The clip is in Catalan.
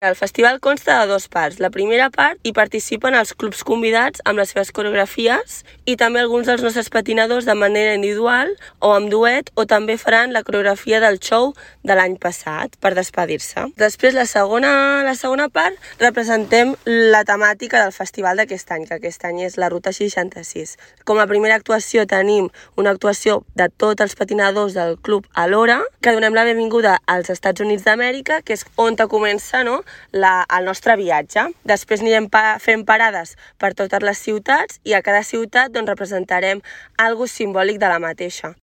El festival consta de 2 parts. La primera part hi participen els clubs convidats amb les seves coreografies i també alguns dels nostres patinadors de manera individual o amb duet, o també faran la coreografia del show de l'any passat per despedir-se. Després, la segona part, representem la temàtica del festival d'aquest any, que aquest any és la Ruta 66. Com a primera actuació tenim una actuació de tots els patinadors del club alhora, que donem la benvinguda als Estats Units d'Amèrica, que és on comença, no?, el nostre viatge. Després anirem fent parades per totes les ciutats i a cada ciutat representarem algo simbòlic de la mateixa.